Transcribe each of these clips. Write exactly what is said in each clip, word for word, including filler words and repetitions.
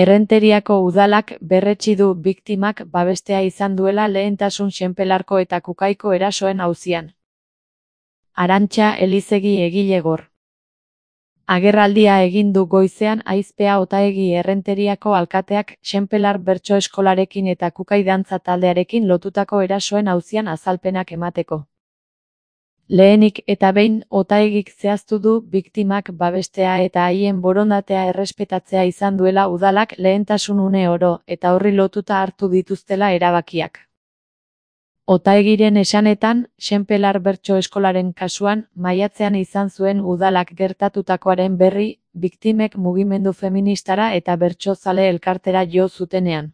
Errenteriako udalak berretsi du biktimak babestea izan duela lehentasun Senpelarko eta Kukaiko erasoen auzian. Arantxa Elizegi egilegor. Agerraldia egin du goizean Aizpea Otaegi Errenteriako alkateak Senpelar bertso eskolarekin eta Kukai dantza taldearekin lotutako erasoen auzian azalpenak emateko. Lehenik eta behin Otaegik zehaztu du biktimak babestea eta haien borondatea errespetatzea izan duela udalak lehentasun une oro eta horri lotuta hartu dituztela erabakiak. Otaegiren esanetan, Senpelar bertso eskolaren kasuan, maiatzean izan zuen udalak gertatutakoaren berri, biktimek mugimendu feministara eta bertsozale elkartera jo zutenean.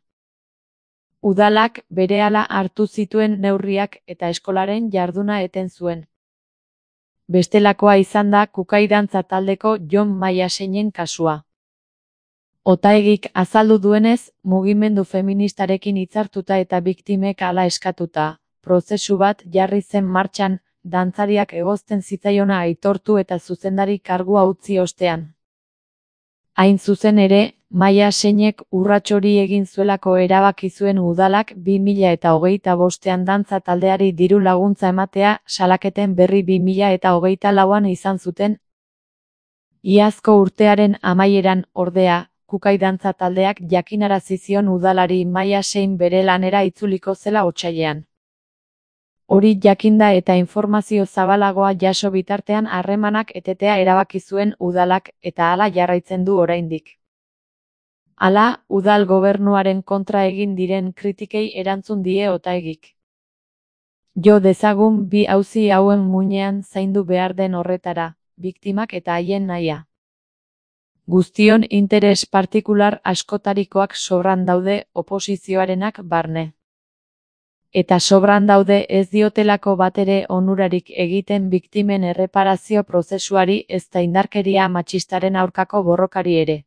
Udalak berehala hartu zituen neurriak eta eskolaren jarduna eten zuen. Bestelakoa izan da Kukai dantza taldeko Jon Maiaseinen kasua. Otaegik azaldu duenez, mugimendu feministarekin hitzartuta eta biktimek hala eskatuta, prozesu bat jarri zen martxan, dantzariak egozten zitzaiona aitortu eta zuzendari kargua utzi ostean. Hain zuzen ere, Maiasenek urrats hori egin zuelako erabaki zuen udalak bi mila eta hogeita bostean dantza taldeari diru laguntza ematea salaketen berri bi mila eta hogeita lauan izan zuten. Iazko urtearen amaieran, ordea, Kukai dantza taldeak jakinarazi zion udalari Maiasen bere lanera itzuliko zela otsailean. Hori jakinda eta informazio zabalagoa jaso bitartean harremanak etetea erabaki zuen udalak eta hala jarraitzen du oraindik. Hala, udal gobernuaren kontra egin diren kritikei erantzun die Otaegik. Jo dezagun bi auzi hauen muinean zaindu behar den horretara, biktimak eta haien nahia. Guztion interes partikular askotarikoak sobran daude oposizioarenak barne. Eta sobran daude ez diotelako batere onurarik egiten biktimen erreparazio prozesuari ezta indarkeria matxistaren aurkako borrokari ere.